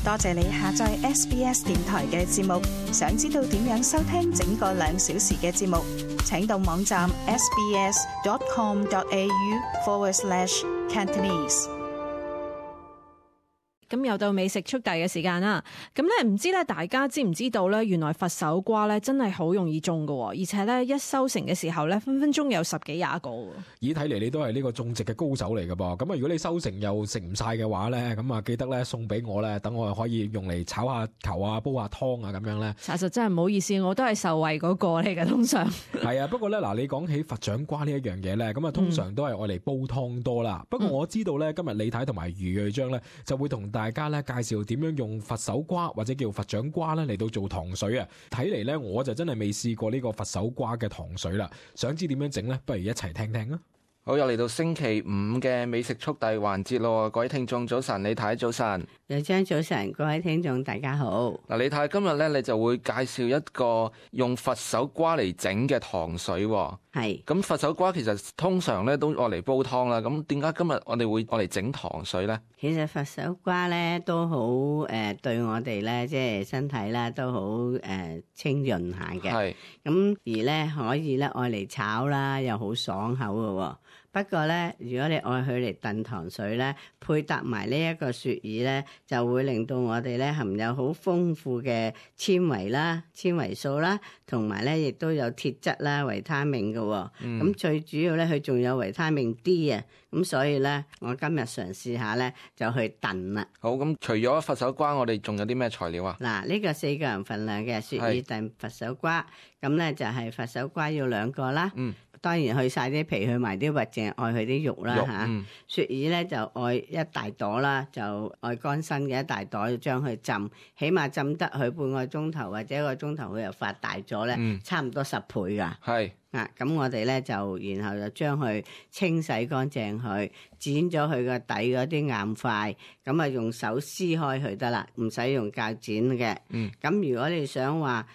多謝你下載 SBS 電台嘅節目。想知道點樣收聽整個2小時嘅節目，請到網站 sbs.com.au/Cantonese。咁又到美食速遞嘅時間啦。咁咧唔知咧，大家知唔知道咧？原來佛手瓜咧真係好容易種㗎，而且咧一收成嘅時候咧，分分鐘有10幾20個。咦，睇嚟你都係呢個種植嘅高手嚟㗎噃。咁啊，如果你收成又食唔晒嘅話咧，咁啊記得咧送俾我咧，等我可以用嚟炒下球啊、煲下湯啊咁樣咧。查實真係唔好意思，我都係受惠嗰個嚟嘅，通常。係啊，不過咧嗱，你講起佛掌瓜呢一樣嘢咧，咁啊通常都係愛嚟煲湯多啦。不過我知道咧，今日李太同埋余瑞章咧就會同大家咧介紹點樣用佛手瓜或者叫佛掌瓜咧嚟到做糖水啊！睇嚟咧我就真係未試過呢個佛手瓜嘅糖水啦，想知點樣整呢？不如一齊聽聽啊！好，又嚟到星期5嘅美食速遞環節咯，各位聽眾早晨，李太早晨，瑞章早晨，各位聽眾大家好。嗱，李太今日咧你就會介紹一個用佛手瓜嚟整嘅糖水。係，咁佛手瓜其實通常咧都愛嚟煲湯啦，咁點解今日我哋會愛嚟整糖水咧？其實佛手瓜咧都好對我哋咧即係身體咧都好清潤下嘅。係，咁而咧可以咧愛嚟炒啦，又好爽口嘅。不過咧，如果你愛佢嚟燉糖水咧，配搭埋呢一個雪耳咧，就會令到我哋咧含有好豐富嘅纖維啦、纖維素啦，同埋咧亦都有鐵質啦、維他命嘅。咁最主要咧，佢仲有維他命 D 啊。咁所以咧，我今日嘗試下咧，就去燉啦。好，咁除咗佛手瓜，我哋仲有啲咩材料啊？嗱，呢個4個人份量嘅雪耳燉佛手瓜，咁咧就係佛手瓜要2個啦。當然去晒啲皮，去埋啲核，淨係愛佢啲肉啦嚇。雪耳咧就愛一大朵啦，就愛乾身嘅一大朵，將佢浸，起碼浸得佢半個鐘頭或者1個鐘頭，佢又發大咗咧，差唔多10倍噶。係啊，咁我哋咧就然後就將佢清洗乾淨佢，剪咗佢個底嗰啲硬塊，咁啊用手撕開佢得啦，唔使用鉸剪嘅。咁如果你想話，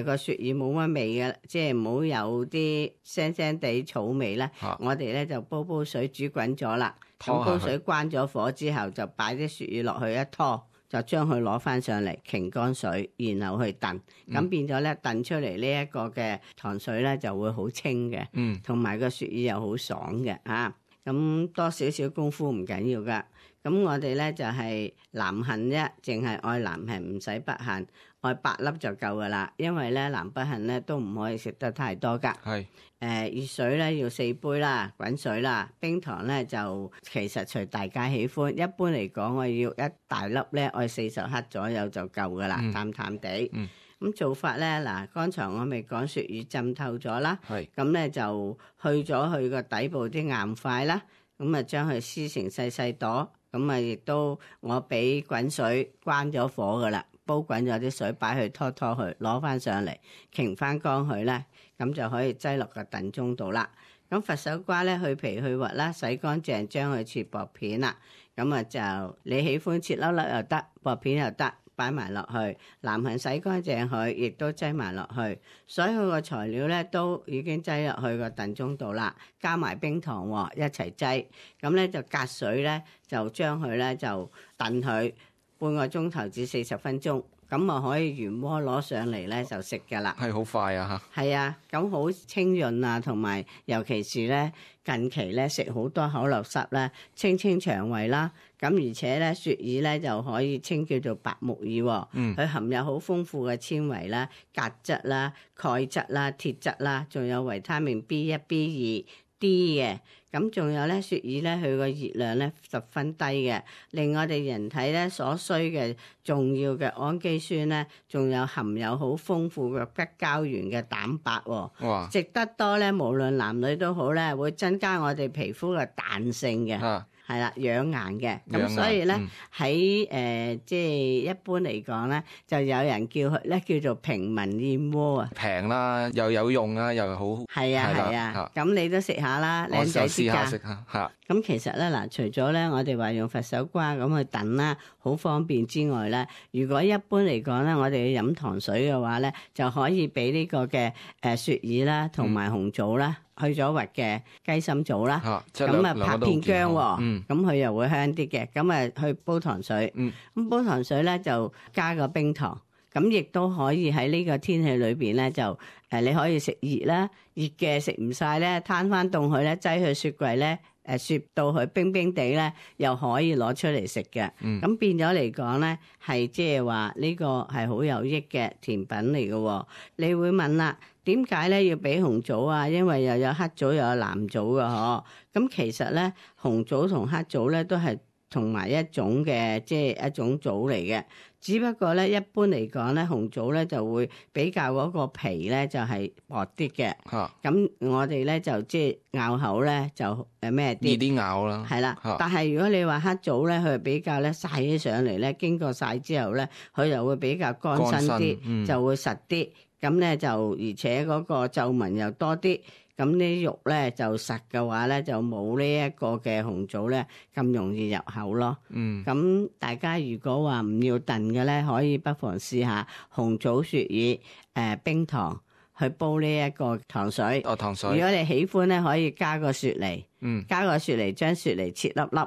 個雪耳冇乜味嘅，即係唔好有啲腥腥地草味咧。我哋咧就煲水煮滾咗啦。咁煲水關咗火之後，就擺啲雪耳落去一拖，就將佢攞翻上嚟，擎乾水，然後去燉。咁變咗咧，燉出嚟呢一個嘅糖水咧就會好清嘅，同埋個雪耳又好爽嘅啊。咁多少少功夫唔緊要噶。咁我哋咧就係南杏啫，淨係愛南杏，唔使北杏，愛8粒就夠噶啦。因為咧南北杏咧都唔可以食得太多噶。係熱水咧要4杯啦，滾水啦，冰糖咧就其實隨大家喜歡。一般嚟講，我要一大粒咧，愛40克左右就夠噶啦，淡淡地。咁做法咧，嗱，剛才我咪講雪耳浸透咗啦，咁咧就去咗佢個底部啲硬塊啦，咁啊將佢撕成細細朵，咁啊亦都我俾滾水關咗火噶啦，煲滾咗啲水擺去拖佢，攞翻上嚟，擎翻乾佢咧，咁就可以擠落個燉盅度啦。咁佛手瓜咧去皮去核啦，洗乾淨將佢切薄片啦，咁啊就你喜歡切粒粒又得，薄片又得。擺埋落去，南杏洗乾淨佢，亦都擠埋落去。所有個材料咧都已經擠入去個燉盅度啦，加埋冰糖一齊擠。咁咧就隔水咧，就將佢咧就燉佢半個鐘頭至40分鐘。咁啊可以原鍋攞上嚟咧就食噶啦。係好快啊嚇！係啊，咁好清潤啊，同埋尤其是咧近期咧食好多口流濕咧，清腸胃啦。咁而且咧雪耳咧就可以稱叫做白木耳，佢含有好豐富嘅纖維啦、鉀質啦、鈣質啦、鐵質啦，仲有維他命 B1、B2、D 嘅。咁仲有咧雪耳咧，佢個熱量咧十分低嘅，令我哋人體咧所需嘅重要嘅氨基酸咧，仲有含有好豐富嘅骨膠原嘅蛋白。哇！食得多咧，無論男女都好咧，會增加我哋皮膚嘅彈性嘅。係啦，養顏嘅，咁所以咧喺即係一般嚟講咧，就有人叫佢咧叫做平民燕窩啊，平啦，又有用啊，又好。係啊，咁你都食下啦，靚仔啲㗎。食下嚇。咁其實咧嗱，除咗咧我哋話用佛手瓜咁去燉啦，好方便之外咧，如果一般嚟講咧，我哋要飲糖水嘅話咧，就可以俾呢個嘅雪耳啦，同埋紅棗啦。去咗核嘅雞心棗啦，咁啊拍片薑喎，咁佢又會香啲嘅。咁啊去煲糖水，咁煲糖水咧就加個冰糖，咁亦都可以喺呢個天氣裏邊咧就你可以食熱啦，熱嘅食唔晒咧，攤翻凍佢咧，擠去雪櫃咧。雪到佢冰冰地咧，又可以攞出嚟食嘅。咁變咗嚟講咧，係即係話呢個係好有益嘅甜品嚟嘅。你會問啦，點解咧要俾紅棗啊？因為又有黑棗又有藍棗嘅嗬。咁其實咧，紅棗同黑棗咧都係同埋一種嘅，即係一種棗嚟嘅。只不過咧，一般嚟講咧，紅棗咧就會比較嗰個皮咧就係薄啲嘅。咁我哋咧就即係咬口咧就咩啲？易啲咬啦。係啦，但係如果你話黑棗咧，佢比較咧曬起上嚟咧，經過曬之後咧，佢就會比較乾身啲，就會實啲。咁咧就而且嗰個皺紋又多啲。咁啲肉咧就實嘅話咧，就冇呢一個嘅紅棗咧咁容易入口咯。咁大家如果話唔要燉嘅咧，可以不妨試下紅棗雪耳冰糖去煲呢一個糖水。糖水。如果你喜歡咧，可以加個雪梨，加個雪梨將雪梨切粒粒，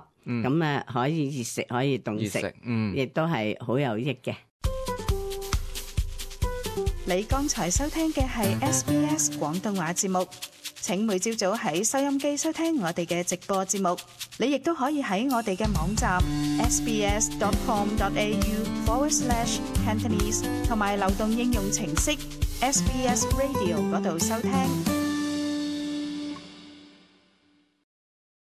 咁可以熱食可以凍食，亦都係好有益嘅。你剛才收聽嘅係 SBS 廣東話節目。請每朝早喺收音機收聽我哋嘅直播節目，你亦都可以喺我哋嘅網站 sbs.com.au/Cantonese 同埋流動應用程式 SBS Radio 嗰度收聽。